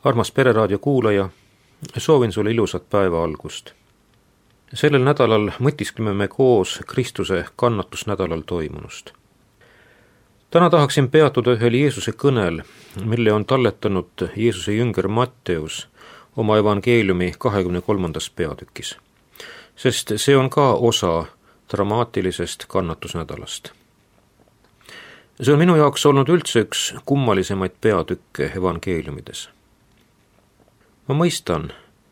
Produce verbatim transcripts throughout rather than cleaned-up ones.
Armas Pereraadio kuulaja, soovin sulle ilusat päeva algust. Sellel nädalal mõtiskleme me koos Kristuse kannatusnädalal toimunust. Täna tahaksin peatuda ühel Jeesuse kõnel, mille on talletanud Jeesuse jünger Matteus oma evangeeliumi kahekümne kolmandas peatükis, sest see on ka osa dramaatilisest kannatusnädalast. See on minu jaoks olnud üldse üks kummalisemaid peatükke evangeeliumides. Ma mõistan,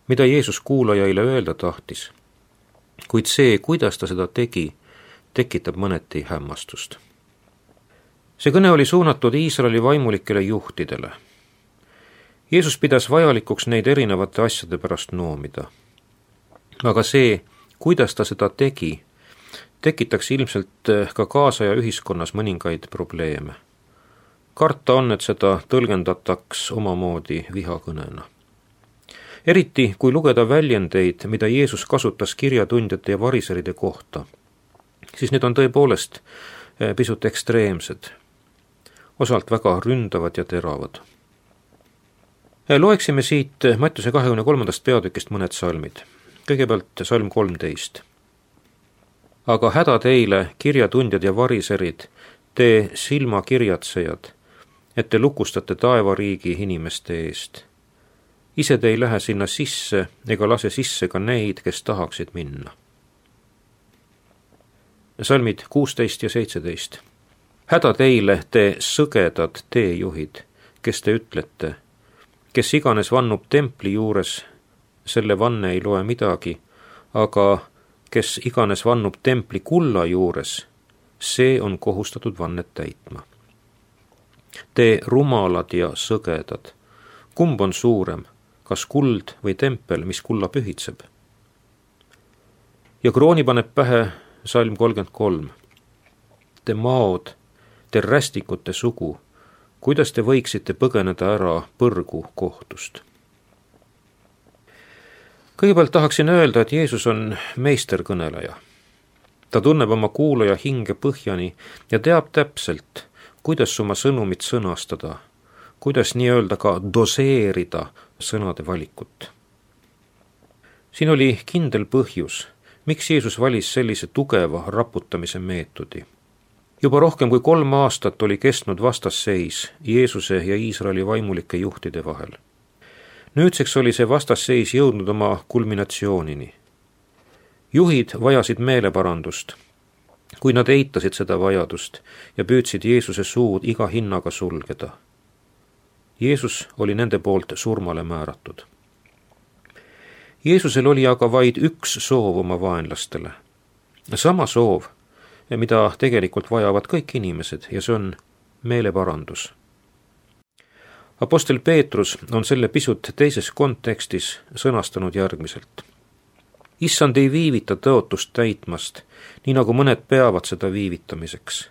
mida Jeesus kuulajaile öelda tahtis, kuid see, kuidas ta seda tegi, tekitab mõneti hämmastust. See kõne oli suunatud Iisraeli vaimulikele juhtidele. Jeesus pidas vajalikuks neid erinevate asjade pärast noomida. Aga see, kuidas ta seda tegi, tekitaks ilmselt ka kaasaja ühiskonnas mõningaid probleeme. Karta on, et seda tõlgendataks omamoodi vihakõnena. Eriti, kui lugeda väljendeid, mida Jeesus kasutas kirjatundjate ja variseride kohta, siis need on tõepoolest pisut ekstreemsed, osalt väga ründavad ja teravad. Loeksime siit Mattiuse kahekümne kolmandast peatükist mõned salmid. Kõigepealt salm kolmteist. Aga häda teile, kirjatundjad ja variserid, te silmakirjatsejad, et te lukustate taevariigi inimeste eest. Ise te ei lähe sinna sisse ega lase sisse ka neid, kes tahaksid minna. Salmid kuusteist ja seitseteist. Häda teile, te sõgedad teejuhid, kes te ütlete, kes iganes vannub templi juures, selle vanne ei loe midagi, aga kes iganes vannub templi kulla juures, see on kohustatud vannet täitma. Te rumalad ja sõgedad, kumb on suurem, kas kuld või tempel, mis kulla pühitseb? Ja krooni paneb pähe salm kolmkümmend kolm. Te maod, te rästikute sugu, kuidas te võiksite põgeneda ära põrgu kohtust? Kõigepealt tahaksin öelda, et Jeesus on meisterkõneleja. Ta tunneb oma kuulaja hinge põhjani ja teab täpselt, kuidas oma sõnumit sõnastada, kuidas nii-öelda ka doseerida sõnade valikut. Siin oli kindel põhjus, miks Jeesus valis sellise tugeva raputamise meetodi. Juba rohkem kui kolm aastat oli kestnud vastasseis Jeesuse ja Iisraeli vaimulike juhtide vahel. Nüüdseks oli see vastasseis jõudnud oma kulminatsioonini. Juhid vajasid meeleparandust, kui nad eitasid seda vajadust ja püüdsid Jeesuse suud iga hinnaga sulgeda. Jeesus oli nende poolt surmale määratud. Jeesusel oli aga vaid üks soov oma vaenlastele. Sama soov, mida tegelikult vajavad kõik inimesed, ja see on meeleparandus. Apostel Peetrus on selle pisut teises kontekstis sõnastanud järgmiselt. Issand ei viivita tõotust täitmast, nii nagu mõned peavad seda viivitamiseks,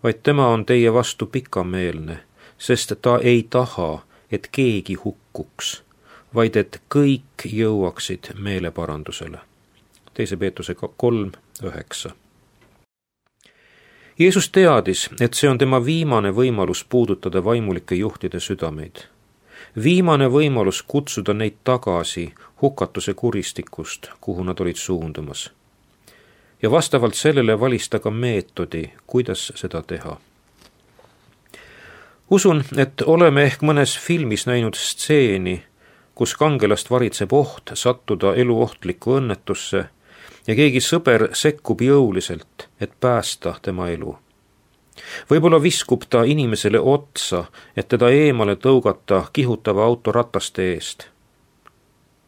vaid tema on teie vastu pikameelne, sest ta ei taha, et keegi hukkuks, vaid et kõik jõuaksid meeleparandusele. Teise Peetruse kolm üheksa. Jeesus teadis, et see on tema viimane võimalus puudutada vaimulike juhtide südameid. Viimane võimalus kutsuda neid tagasi hukatuse kuristikust, kuhu nad olid suundumas. Ja vastavalt sellele valis ta ka meetodi, kuidas seda teha. Usun, et oleme ehk mõnes filmis näinud stseeni, kus kangelast varitseb oht sattuda eluohtlikku õnnetusse ja keegi sõber sekkub jõuliselt, et päästa tema elu. Võib-olla viskub ta inimesele otsa, et teda eemale tõugata kihutava auto rataste eest.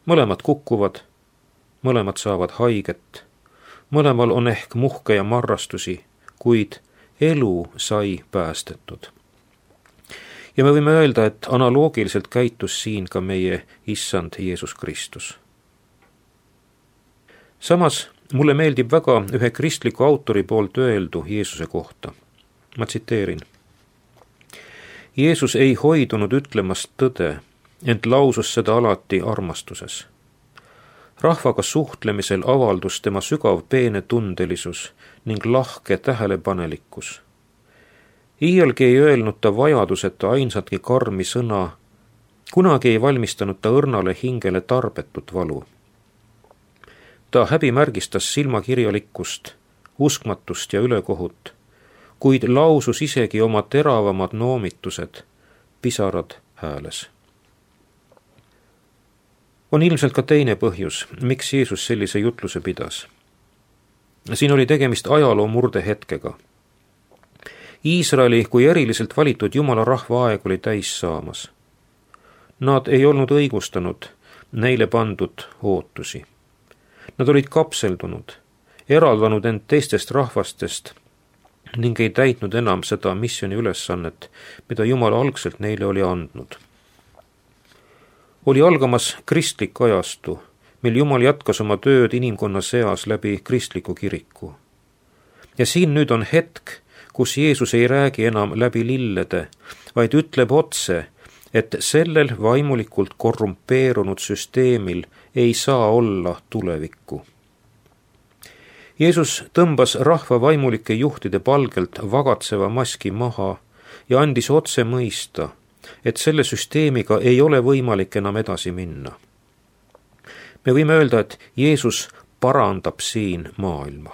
Mõlemad kukkuvad, mõlemad saavad haiget, mõlemal on ehk muhke ja marrastusi, kuid elu sai päästetud. Ja me võime öelda, et analoogiliselt käitus siin ka meie issand Jeesus Kristus. Samas mulle meeldib väga ühe kristliku autori poolt öeldu Jeesuse kohta. Ma tsiteerin. Jeesus ei hoidunud ütlemast tõde, ent lausus seda alati armastuses. Rahvaga suhtlemisel avaldus tema sügav peenetundelisus ning lahke tähelepanelikkus. Iialgi ei öelnud ta vajaduseta ainsatki karmi sõna, kunagi ei valmistanud ta õrnale hingele tarbetut valu. Ta häbimärgistas silmakirjalikkust, uskmatust ja ülekohut, kuid lausus isegi oma teravamad noomitused, pisarad hääles. On ilmselt ka teine põhjus, miks Jeesus sellise jutluse pidas. Siin oli tegemist ajaloo murdehetkega. Iisraeli kui eriliselt valitud Jumala rahva aeg oli täis saamas. Nad ei olnud õigustanud neile pandud ootusi. Nad olid kapseldunud, eraldanud end teistest rahvastest ning ei täitnud enam seda missiooni ülesannet, mida Jumal algselt neile oli andnud. Oli algamas kristlik ajastu, mil Jumal jätkas oma tööd inimkonna seas läbi kristliku kiriku. Ja siin nüüd on hetk, kus Jeesus ei räägi enam läbi lillede, vaid ütleb otse, et sellel vaimulikult korrumpeerunud süsteemil ei saa olla tulevikku. Jeesus tõmbas rahva vaimulike juhtide palgelt vagatseva maski maha ja andis otse mõista, et selle süsteemiga ei ole võimalik enam edasi minna. Me võime öelda, et Jeesus parandab siin maailma.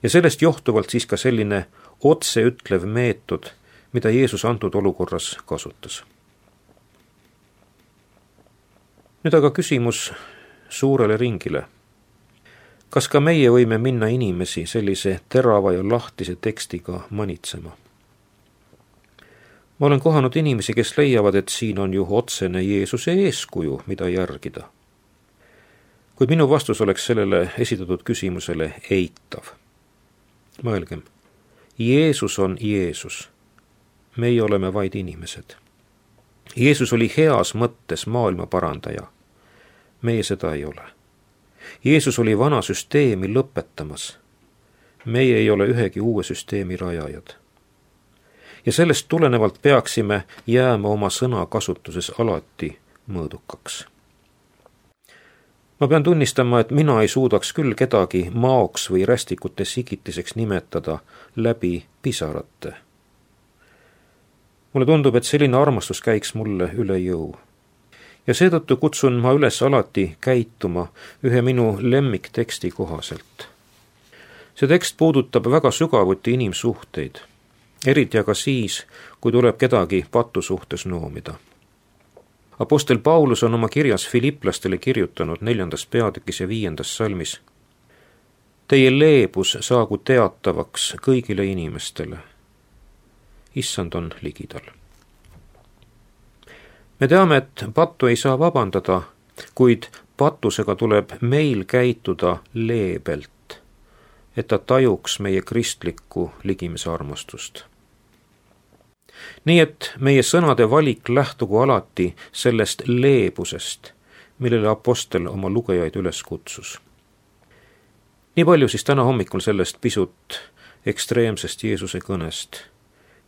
Ja sellest johtuvalt siis ka selline otseütlev meetod, mida Jeesus antud olukorras kasutas. Nüüd aga küsimus suurele ringile. Kas ka meie võime minna inimesi sellise terava ja lahtise tekstiga manitsema? Ma olen kohanud inimesi, kes leiavad, et siin on ju otsene Jeesuse eeskuju, mida järgida. Kuid minu vastus oleks sellele esitatud küsimusele eitav. Mõelgem, Jeesus on Jeesus. Meie oleme vaid inimesed. Jeesus oli heas mõttes maailma parandaja. Meie seda ei ole. Jeesus oli vana süsteemi lõpetamas. Meie ei ole ühegi uue süsteemi rajajad. Ja sellest tulenevalt peaksime jääma oma sõna kasutuses alati mõõdukaks. Ma pean tunnistama, et mina ei suudaks küll kedagi maoks või rästikute sigitiseks nimetada läbi pisarate. Mulle tundub, et selline armastus käiks mulle üle jõu. Ja seetõttu kutsun ma üles alati käituma ühe minu lemmikteksti kohaselt. See tekst puudutab väga sügavuti inimsuhteid, eriti aga siis, kui tuleb kedagi patu suhtes noomida. Apostel Paulus on oma kirjas Filiplastele kirjutanud neljandas peatükis ja viiendas salmis. Teie leebus saagu teatavaks kõigile inimestele. Issand on ligidal. Me teame, et pattu ei saa vabandada, kuid patusega tuleb meil käituda leebelt, et ta tajuks meie kristlikku ligimise armastust. Nii et meie sõnade valik lähtugu alati sellest leebusest, millele apostel oma lugejaid üles kutsus. Nii palju siis täna hommikul sellest pisut ekstreemsest Jeesuse kõnest,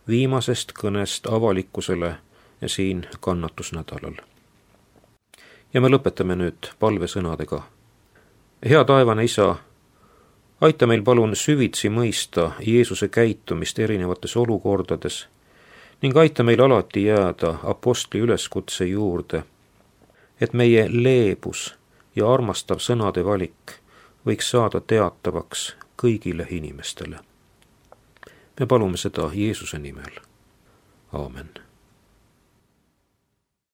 viimasest kõnest avalikkusele ja siin kannatusnädalal. Ja me lõpetame nüüd palvesõnadega. Hea taevane Isa, aita meil palun süvitsi mõista Jeesuse käitumist erinevates olukordades ning aita meil alati jääda apostli üleskutse juurde, et meie leebus ja armastav sõnade valik võiks saada teatavaks kõigile inimestele. Me palume seda Jeesuse nimel. Aamen.